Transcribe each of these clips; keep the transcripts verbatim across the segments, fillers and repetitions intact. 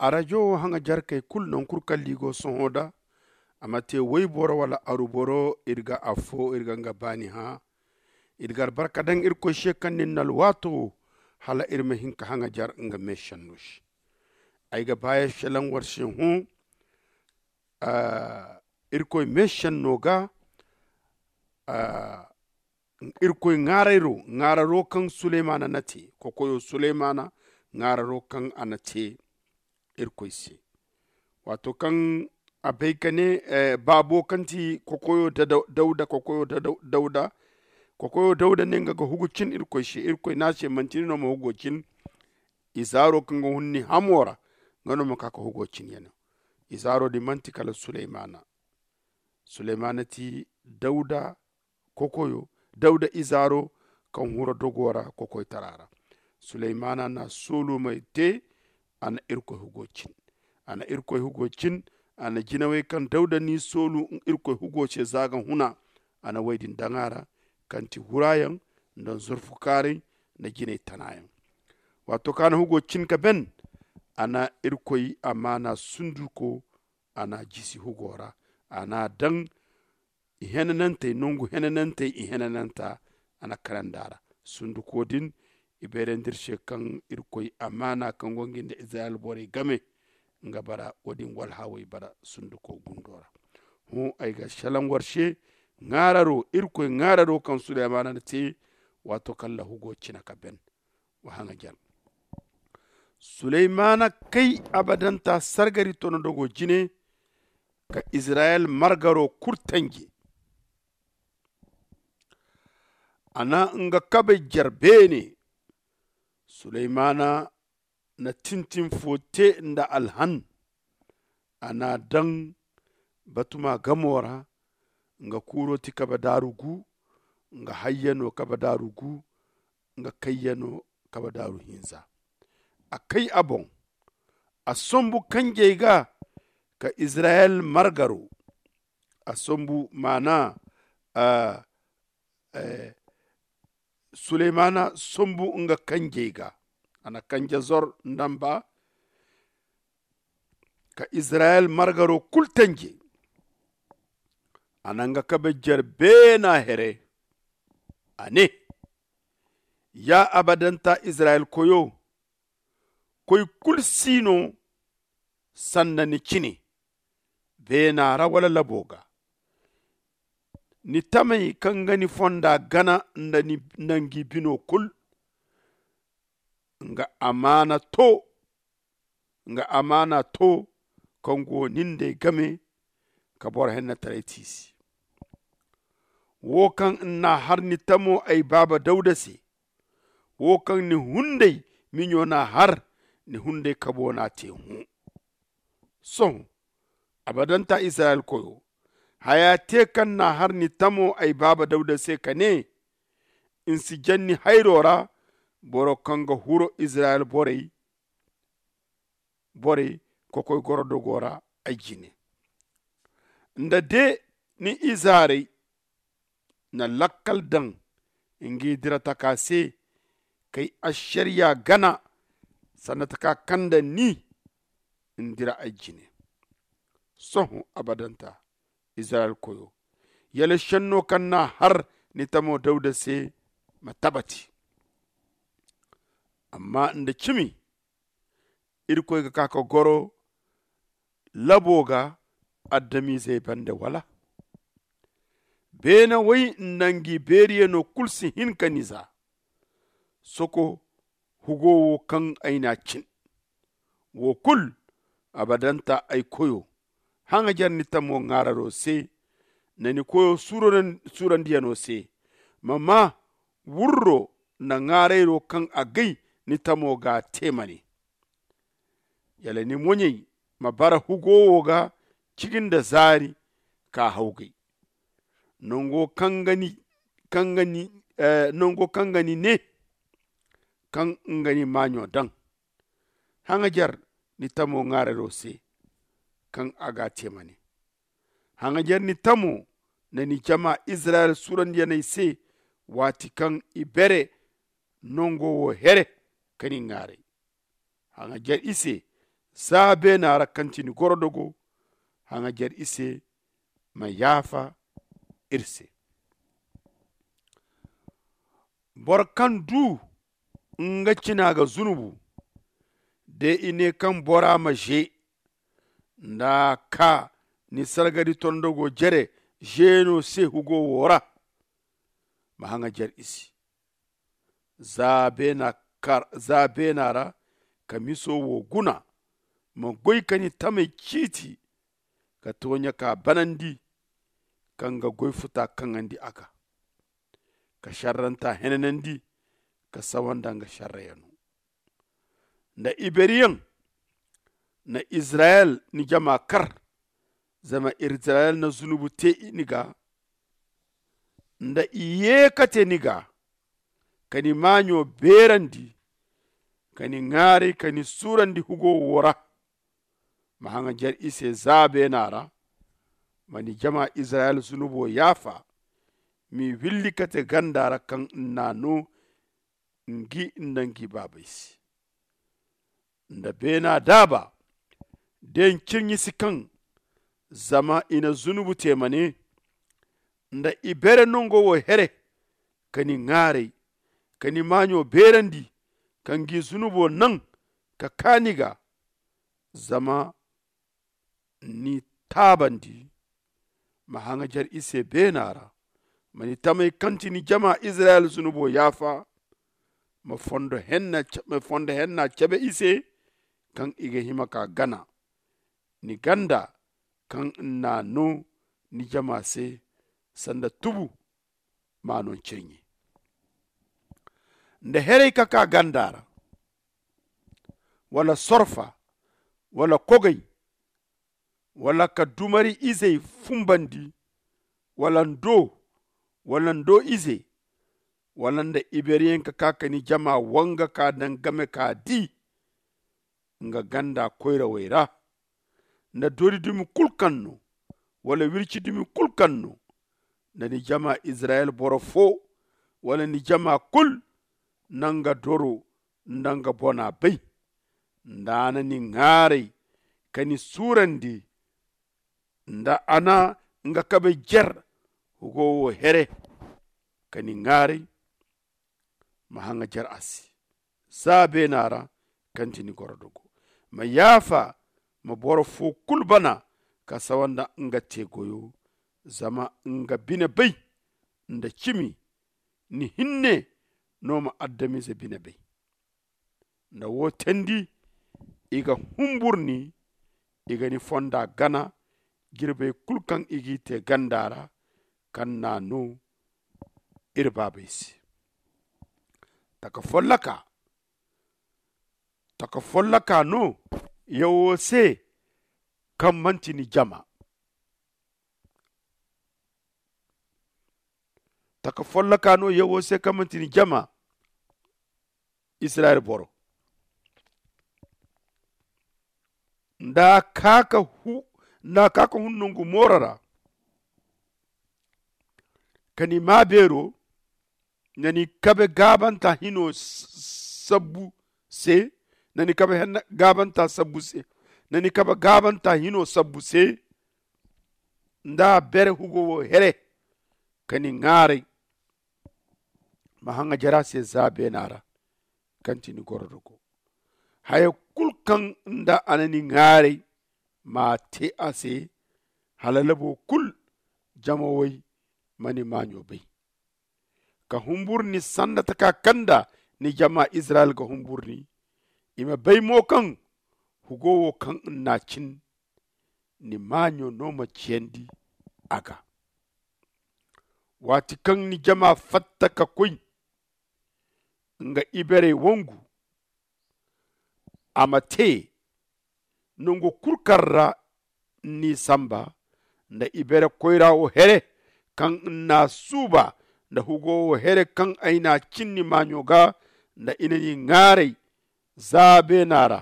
Arajo haŋajarkey kulu naŋ kulu kaŋ liigo sohõ da a ma te wayboro wala aruboro iri ga affo iri ga nga baani hã. Iri ga albarka daŋ irkoy se kaŋ nin na alwaato hala iri ma hin ka haŋajar nga meesenno se. Ay ga ba ya selaŋ war se hõ. Irkoy meesenno ga irkoy ŋaarayro ŋaararo kaŋ suleymana na te kokoyo suleymana ŋaararo kaŋ a na te. Irkoy se waato kaŋ a bay ka ne baabo kaŋ ti kokoyo dawda kokoyo dawda kokoyo dawda ne nga ga hugu cin irkoy se irkoy ne a se manti ni no ma hugo cin. Izaaro kaŋ ga hun ni hamo ra nga no ma ka ka hugo cin ya no. Izaaro din manti kala suleymana. Suleymana ti dawda kokoyo dawda izaaro kaŋ hura dogo ra kokoytara ra. Suleymana na soolumey te a na irkoy hugo cin. A na irkoy hugo cin. A na jinawey kaŋ dawda n'i soolu irkoy hugo se za ga huna. A na wey din daŋ a ra kaŋ ti hurayaŋ nda nzurfu kaaray nda jinay tanayaŋ. Waato kaŋ a na hugo cin ka ben a na irkoy amaana sunduko a na a jisi hugo ra. A na a daŋ i henanantey nangu henanantey i henananta. A na kanandi a ra sunduko din. I beerandi iri se kaŋ irkoy amaana kaŋ go nga nda izirayel borey game nga bara wo- din walhaawey bara sunduko gundo ra. Hõ ay ga salaŋ war se ŋaararo irkoy ŋaararo kaŋ suleymana na te. Waato kaŋ lahugo cina ka ben wa haŋajar. Suleymana kay abadanta sargari tono dogo jine ka izirayel margaro kulu tanje. A na nga kabay jer beene. Suleymana na tintin fo te nda alhan. A na a daŋ batuma gamo ra. Nga kuuro ti kabe daaru gu. Nga hayyano kabe daaru gu. Nga kayyano kabe daaru hinza. A kay a boŋ. A sombu kanjey ga ka izirayel margaro. A sombu maana suleymana sombu nga kanjey ga. A na kanje zor nda mba ka izirayel margaro kulu tanje. A na nga kabe jer beena here. A ne, ya abadanta izirayel koyo, koy kulu si no sanda ni cine beena ra wala labo ga. Ni tamey kaŋ ga ni fonda gana nda ni nangi bino kulu. Nga amaana to nga amaana to kaŋ go nin day game ka boro hennetaray ti i se. Wo kaŋ ni n'a har ni tamo ay baaba dawda se. Wo kaŋ ni hunday miɲo n'a har ni hunday kabo n'a te hõ. Sohõ abadanta izirayel koyo, haya te kaŋ n'a har ni tamo ay baaba dawda se ka ne, ni si janni hayro ra boro kaŋ ga huro izirayel borey borey kokoy goro dogo ra ay jine. Nda de ni izaarey na lakkal daŋ ngi dira taka se kay ašariya gana sanda taka kaŋ daŋ ni ni dira ay jine. Sohõ abadanta izirayel koyo, yala šenno kaŋ n'a har ni tamo dawda se ma tabati. Amma nda cimi irkoy ga ka ka goro labo ga adamizey bande wala? Beene way nda ngi beeriyano kulu si hin ka ni za. Soko hugo wo kaŋ ay n'a cin. Wo kulu abadanta ay koyo, haŋajer ni tamo ŋaararo se nda ni koyo suurandiyano se. Ma maa wurro nda ŋaarayro kaŋ a gay ni tamo ga te ma ne. Yala ni moɲey ma bara hugo wo ga cigi nda zaari ka hawgay nango kaŋ ga ni ne kaŋ nga ni maaɲo daŋ. Haŋajer ni tamo ŋaararo se kaŋ a ga a te ma ne. Haŋajer ni tamo nda ni jama izirayel suurandiyaney se waati kaŋ i bere nango wo here ka ni ŋaaray. Haŋajer i se za beena ra kaŋ ti ni gorodogo. Haŋajer i se ma yaafa iri se. Boro kaŋ du nga cina ga zunubu, de i ne kaŋ bora ma ze nda a ka ni sargari tondogo jere zeeno se hugo wo ra, ma haŋajer i se za beena ra ka miso wo guna. Ma goy ka ni tamey ciiti ka tooɲa ka banandi ka nga goy futa kaŋandi a ga ka sarranta henanandi ka sawa nda nga sarrayano. Nda iberiyaŋ na izirayel ni jama kar zama izirayel na zunubu te ni ga. Nda i ye ka te ni ga ka ni maaɲo beerandi ka ni ŋaaray ka ni suurandi hugo wo ra. Ma haŋajer i se za beena ra ma ni jama izirayel zunubo yaafa. M'i willi ka te ganda ra kaŋ n'a no ngi nda ngi baabey se. Nda beena daaba de ncirɲi si kaŋ zama i na zunubu te ma ne nda i bere nango wo here ka ni ŋaaray ka ni maaɲo beerandi ka ngi zunubo naŋ ka kaa ni ga. Zama ni taabandi ma haŋajer i se beena ra. Ma ni tamey kaŋ ti ni jama izirayel zunubo yaafa. Ma fondo henna cabe i se kaŋ i ga hima ka gana ni ganda kaŋ n'a no ni jama se sanda tubu. Ma no ncirɲi nda herey ka ka ganda ra wala sorfa wala kogey wala ka dumari izey fumbandi wala ndo wala ndo ize wala nda iberiyaŋ ka ka ka ni jama wanga ka daŋ game ka di nga ganda koyrawey ra. Nda doori dumi kulu kaŋ no wala wirci dumi kulu kaŋ no nda ni jama izirayel boro fo wala ni jama kulu na nga doro nda nga bona bay nda a na ni ŋaaray ka ni suurandi nda a na nga kabe jer hugo wo here ka ni ŋaaray. Ma haŋajer a se za beena ra kaŋ ti ni gorodogo. Ma yaafa ma boro fo kulu bana ka sawa nda nga te goyo. Zama nga bine bay nda cimi ni hinne no ma adamize bine bay. Nda wo teendi i ga humbur ni i ga ni fonda gana jirbey kulu kaŋ i g'i te ganda ra kaŋ n'a no iri baabey se. Taka folloka taka folloka no yawo se kaŋ manti ni jama. Taka folloka no yawo se kaŋ manti ni jama. Israyil boro nda a ka ka hun nangu mooro ra ka ni maa beero na ni kabe gaabanta hino sabbu se na ni kabe gaabanta sabbu se na ni kabe gaabanta hino sabbu se nda a bere hugo wo here ka ni ŋaaray. Ma haŋa jara se za beena ra kaŋ ti ni gorodogo haya kulu kaŋ nda a na ni ŋaaray ma a te a se hala labo kulu jama way ma ni maaɲo bay. Ka humburu ni sanda taka kaŋ nda ni jama izirayil ga humburu ni i ma bay mo kaŋ hugo wo kaŋ nna cin ni maaɲo no ma ciyandi a ga. Waati kaŋ ni jama fatta ka koy nga iberey wangu a ma te nangu kulu kaŋ ra n'i samba nda ibere koyra wo here kaŋ nna suuba nda hugo wo here kaŋ ay n'a cin ni maaɲo ga nda i na ni ŋaaray za beena ra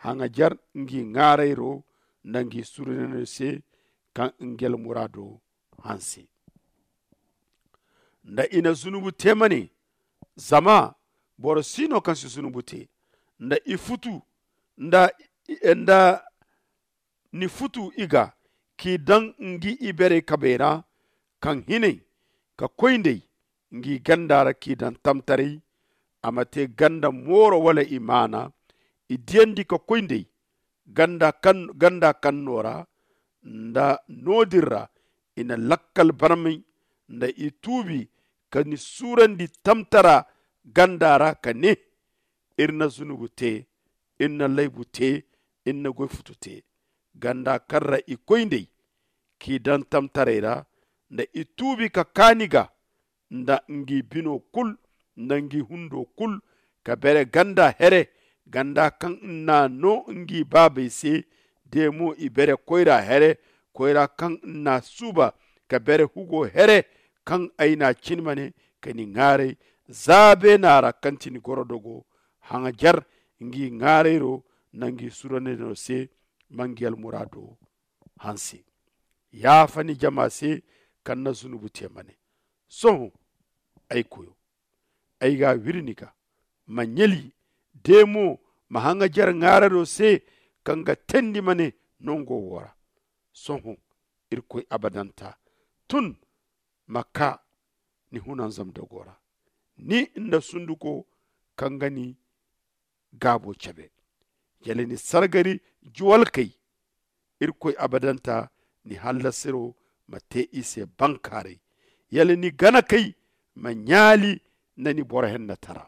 haŋajer ngi ŋaarayro nda ngi surunano se kaŋ ngel muraado hanse. Nda i na zunubu te ma ne zama boro si no kaŋ si zunubu te nda i futu nda Nda ni futu i ga k'i daŋ ngi iberey kabey ra, kaŋ hinay ka koy nd'ey ngi ganda ra k'i daŋ tamtaray. A ma te ganda mooro wala imaana i diyandi ka koy nd'ey ganda kaŋ no ra. Nda no- din ra i na lakkal barmay nda i tuubi ka ni suurandi tamtara ganda ra ka ne, iri na zunubu te, iri na laybu te, iri na goy futu te. Ganda kaŋ ra i koy nd'ey k'i daŋ tamtaray ra, nda i tuubi ka kaa ni ga nda ngi bino kul nda ngi hundo kul, ka bere ganda here, ganda kaŋ n'a no ngi baabey se. De mo i bere koyra here, koyra kaŋ n'a suuba ka bere hugo here, kaŋ ay n'a cin ma ne ka ni ŋaaray za beena ra kaŋ ti ni gorodogo. Haŋajer ngi ŋaarayro nda ngi suranayno se, ma ngi almuraado hanse. Yaafa ni jama se kaŋ na zunubu te ma ne, sohõ ay koyo, ay ga a wiri ni ga, ma ɲali de mo ma haŋajer ŋaararo se kaŋ ga teendi ma ne nango wo ra. Sohõ irkoy abadanta tun ma kaa ni hunanzamdogo ra, ni nda sunduko kaŋ ga ni gaabo cabe. Yala ni sargari juwalkey, irkoy abadanta ni hallasiro ma te i se bankaaray. Yala ni ganakey ma ɲaali nda ni boro hennatara.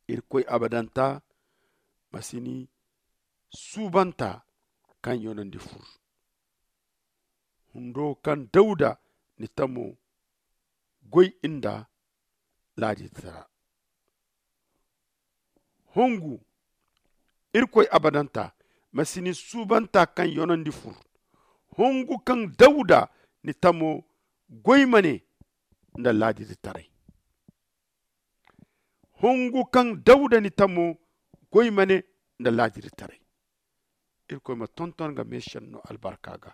Irkoy abadanta ma si ni suubanta kaŋ yonandi fur. Hundo kaŋ dawuda ni tamo goy nda laaditara. Hongu irkoy abadanta ma si ni suubanta kaŋ yonandi fur. Hongu kaŋ dawuda ni tamo goy ma ne nda laaditaray. Hongu kaŋ dawuda ni tamo goy ma ne nda laaditaray. Irkoy ma tonton ga meesenno albarka ga.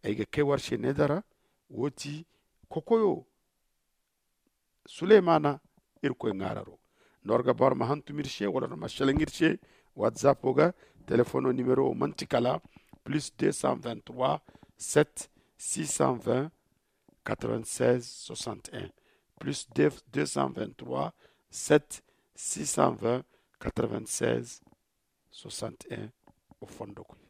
Ay ga kay war se needara wo ti kokoyo suleymana. Irkoy ŋaararo nda war ga ba war ma hantum ir se wala war ma selaŋ ir se. Whatsapp wo ga telefono nimero wo manti kala plus deux cent vingt-trois sept six cent vingt quatre-vingt-seize soixante-un, plus deux cent vingt-trois sept six cent vingt quatre-vingt-seize soixante-un. O fondo koy.